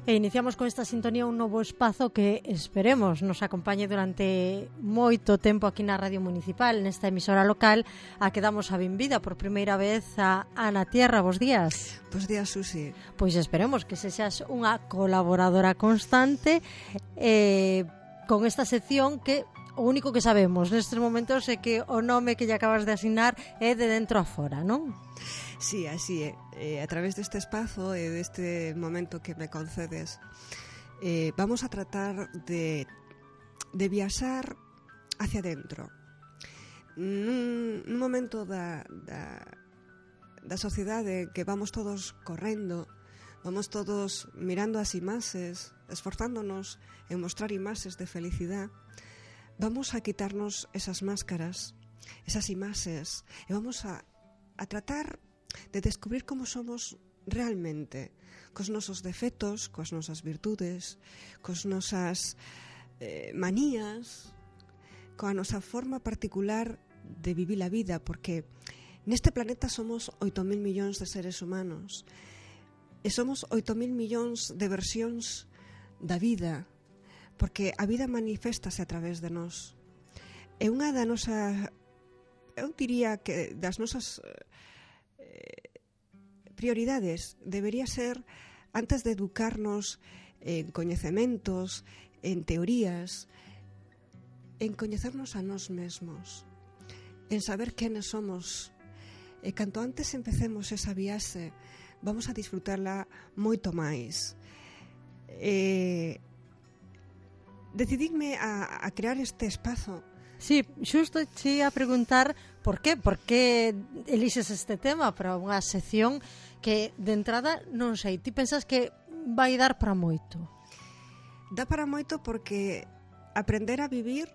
E iniciamos con esta sintonía un novo espazo que esperemos nos acompañe durante moito tempo aquí na Radio Municipal, nesta emisora local, a que damos a benvida por primeira vez a Ana Tierra. Bos días. Bos días, Susi. Pois esperemos que sexas unha colaboradora constante con esta sección que o único que sabemos nestes momentos é que o nome que lle acabas de asignar é de dentro a fora, non? Sí, así é. A través deste espazo e deste momento que me concedes, vamos a tratar de viaxar hacia dentro. Nun momento da sociedade que vamos todos correndo, vamos todos mirando as imaxes, esforzándonos en mostrar imaxes de felicidade, vamos a quitarnos esas máscaras, esas imaxes, e vamos a tratar de descubrir como somos realmente, cos nosos defectos, coas nosas virtudes, cos nosas manías, coa nosa forma particular de vivir a vida, porque neste planeta somos 8.000 millóns de seres humanos e somos 8.000 millóns de versións da vida, porque a vida maniféstase a través de nós. É unha da nosa, eu diría que das nosas prioridades debería ser, antes de educarnos en coñecementos, en teorías, en coñecernos a nós mesmos, en saber quenes somos. E canto antes empecemos esa viaxe, vamos a disfrutarla moito máis. Decididme a crear este espazo. Sí, xusto te ia preguntar por que elixes este tema para unha sección que de entrada non sei, ti pensas que vai dar para moito? Dá para moito porque aprender a vivir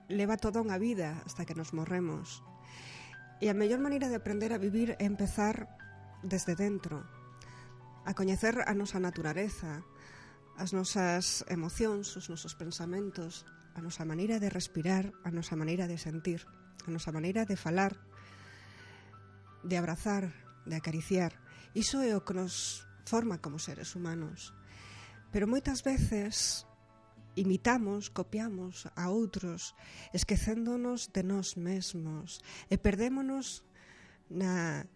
leva toda unha vida hasta que nos morremos. E a mellor maneira de aprender a vivir é empezar desde dentro, a coñecer a nosa naturaleza, as nosas emocións, os nosos pensamentos, a nosa maneira de respirar, a nosa maneira de sentir, a nosa maneira de falar, de abrazar, de acariciar. Iso é o que nos forma como seres humanos. Pero moitas veces imitamos, copiamos a outros, esquecéndonos de nós mesmos e perdémonos na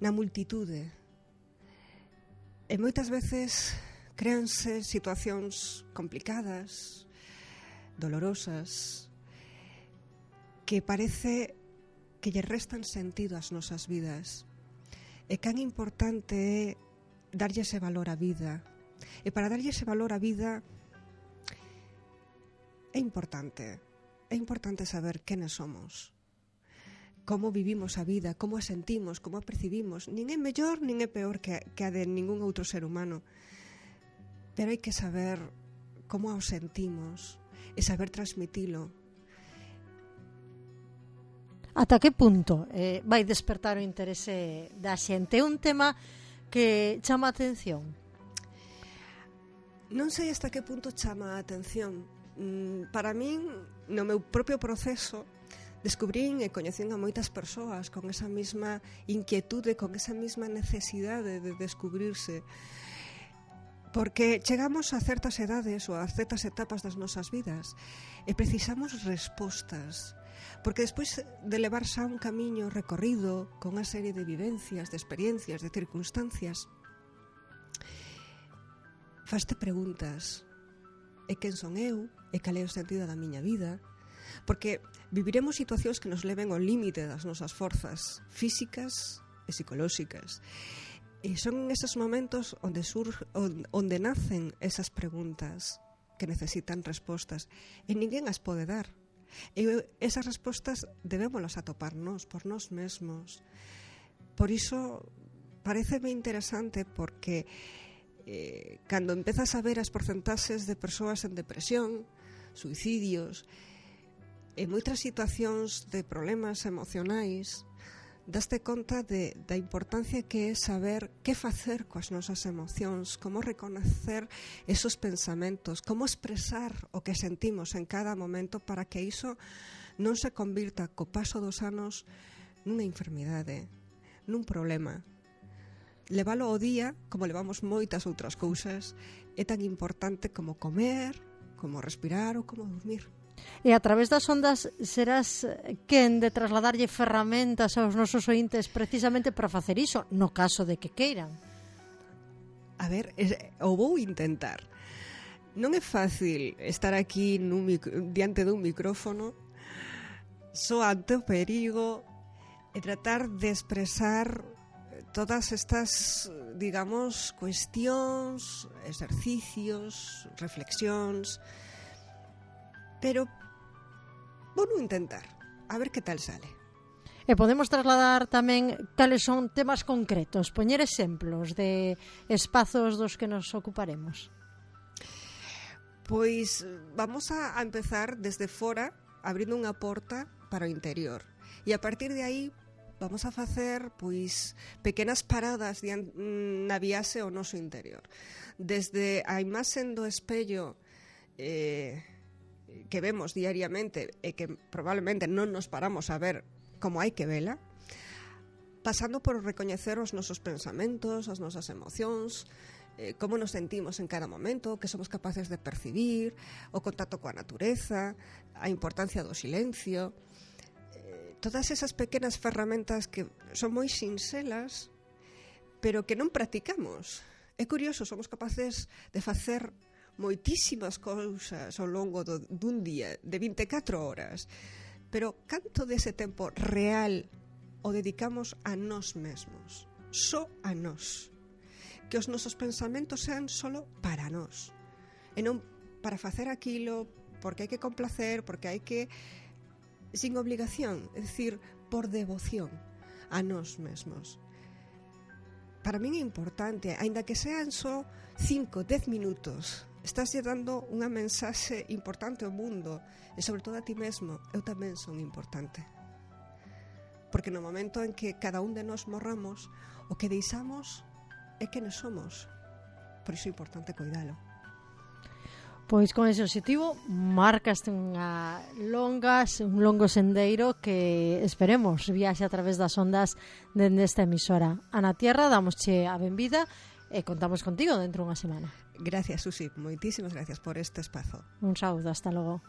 multitude. E moitas veces créanse situacións complicadas, dolorosas, que parece que lle restan sentido ás nosas vidas. E can importante é darlle ese valor á vida. E para darlle ese valor á vida é importante saber quenes somos, como vivimos a vida, como a sentimos, como a percibimos. Nin é mellor nin é peor que a de ningún outro ser humano, pero hai que saber como o sentimos e saber transmitilo. Ata que punto vai despertar o interese da xente? É un tema que chama a atención? Non sei hasta que punto chama a atención. Para min, no meu propio proceso, descubrín e coñecín a moitas persoas con esa mesma inquietude, con esa mesma necesidade de descubrirse. Porque chegamos a certas edades ou a certas etapas das nosas vidas e precisamos respostas. Porque despois de levar xa un camiño recorrido con unha serie de vivencias, de experiencias, de circunstancias, faste preguntas. E quen son eu? E cal é o sentido da miña vida? Porque viviremos situacións que nos leven ao límite das nosas forzas físicas e psicolóxicas. E son esos momentos onde nacen esas preguntas que necesitan respostas e ninguén as pode dar. E esas respostas debémolas atoparnos por nós mesmos. Por iso pareceme interesante porque cando empezas a ver as porcentaxes de persoas en depresión, suicidios e moitas situacións de problemas emocionais, daste conta da importancia que é saber que facer coas nosas emocións, como reconocer esos pensamentos, como expresar o que sentimos en cada momento para que iso non se convirta co paso dos anos nunha enfermidade, nun problema. levalo ao día, como levamos moitas outras cousas, é tan importante como comer, como respirar ou como dormir. E a través das ondas serás quen de trasladarlle ferramentas aos nosos ointes precisamente para facer iso, no caso de que queiran. A ver, o vou intentar. Non é fácil estar aquí diante dun micrófono só ante o perigo e tratar de expresar todas estas, digamos, cuestións, exercicios, reflexións, pero vou non intentar, a ver que tal sale. E podemos trasladar tamén cales son temas concretos, poñer exemplos de espazos dos que nos ocuparemos. Pois vamos a empezar desde fora, abrindo unha porta para o interior. E a partir de aí vamos a facer pois pequenas paradas na viaxe ao noso interior. Desde a imaxe do espello que vemos diariamente e que probablemente non nos paramos a ver como hai que vela, pasando por recoñecer os nosos pensamentos, as nosas emocións, como nos sentimos en cada momento, que somos capaces de percibir, o contacto coa natureza, a importancia do silencio, todas esas pequenas ferramentas que son moi sinxelas, pero que non practicamos. É curioso, somos capaces de facer moitísimas cousas ao longo dun día, de 24 horas, pero canto dese tempo real o dedicamos a nós mesmos, só a nós? Que os nosos pensamentos sean solo para nós e non para facer aquilo porque hai que complacer, porque hai que sin obligación, é dicir, por devoción a nós mesmos. Para min é importante, aínda que sean só 5, 10 minutos, estás lle dando unha mensaxe importante ao mundo e sobre todo a ti mesmo. Eu tamén son importante, porque no momento en que cada un de nós morramos, o que deixamos é que nos somos. Por iso é importante cuidalo. Pois con ese objetivo marcaste un longo sendeiro que esperemos viaxe a través das ondas dende esta emisora. Ana Tierra, damosche a benvida e contamos contigo dentro dunha semana. Gracias, Susi, moitísimas gracias por este espazo. Un saúdo, hasta logo.